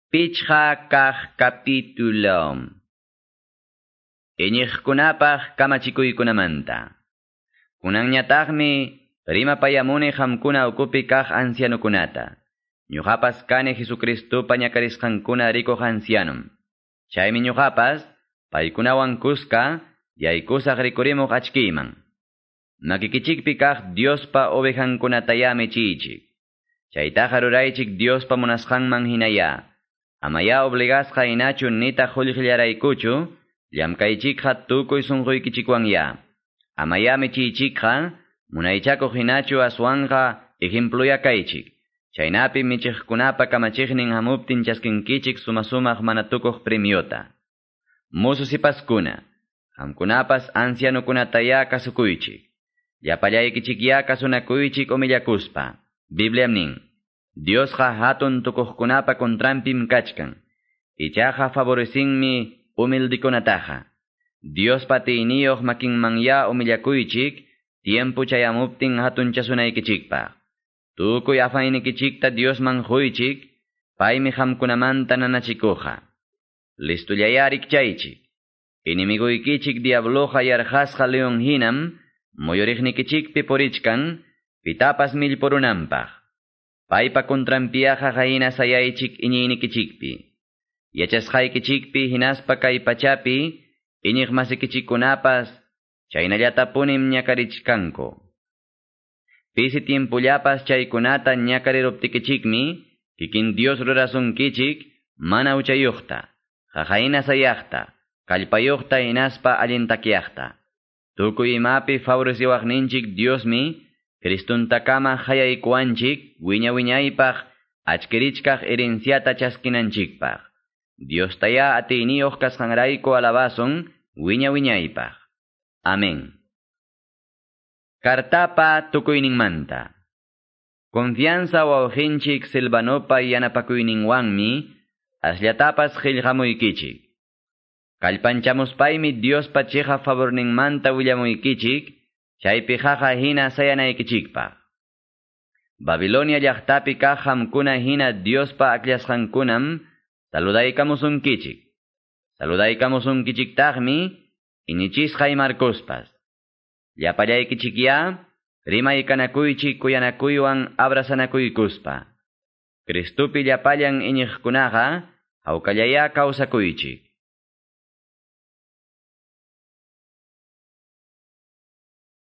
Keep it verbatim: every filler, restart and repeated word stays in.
Pichqa kaq capítulo. Iñiqkunapaq kamachikuykunamanta. Kunanñataqmi rimapayamuni qamkuna ukupi kaq ancianokunata. Ñuqapas kani Jesucristopa ñakarisqankuna rikuq ancianom. Chaymi ñuqapas paykunawan kuska yaykusaq rikurimuq achkiyman. Makikichikpi kaq Diospa ovejankunatayá michiychik. Chaytaqa ruraychik Diospa munasqanman hinaya. Amaya obligasqa hinachu nitaq qullqillaraykuchu, llamkaychikqa tukuy sunquykichikwanya. Amaya michiychikqa munaychakuq hinachu aswanqa ejempluya kaychik. Chaynapi michiqkunapa kamachiqnin hamuptin chaskinkichik sumasumaq mana tukuq premiota. Musu sipaskuna, qamkunapas ancianokunataya kasukuychik. Llapallaykichikya kasunakuychik humillakuspa. Bibliam nin. Diosqa hatun tukuqkunapa contranpim kachkan. Ichaqa favorecinmi humildikunataqa. Diospa atiyniyuq makinmanya humillakuychik, tiempo chayamuptin hatunchasunaykichikpaq. Tukuy afaynikichikta Diosman quychik, paymi qamkunamanta nanachikuqa. Listullayá rikchaychik. Enemiguykichik diabloqa yarqasqa leon hinam, muyuriqnikichikpi purichkan, pitapas millpurunanpaq. Paypa contranpiaqa hayna sayaychik iñiynikichikpi. Yachasqaykichikpi hinaspa kay pachapi, iñiq masikichikkunapas, chaynallatapunim ñakarichkanku. Pisi tiempullapas chaykunata ñakariruptikichikmi, kikin Dios rurasunkichik, mana huchayuqta, qaqayna sayaqta, kallpayuqta hinaspa allintakyaqta. Tukuy imapi favoreciwaqninchik Diosmi, Cristuntakama hayaykuwanchik wiña wiñaypaq achkirichkaq herenciata chaskinanchikpaq. Diostaya atiyniyuq kasqanrayku alabasun wiña wiñaypaq. Amén. Kartapa tukuyninmanta. Confianza wawqinchik Silvanopa yanapakuyninwanmi asllatapas qillqamuykichik. Kallpanchamuspaymi Diospa chiqa favorninmanta willamuykichik, chaypi qaqa hina sayanaykichikpaq. Babilonia llaqtapi kaq qamkuna hina Diospa akllasqankunam saludaykamusunkichik. Saludaykamusunkichiktaqmi iñichisqay Marcospas. Llapallaykichikyá rimaykanakuychik kuyanakuywan abrazanakuykuspa. Cristopi llapallan iñiqkunaqa hawkallayá kawsakuychik.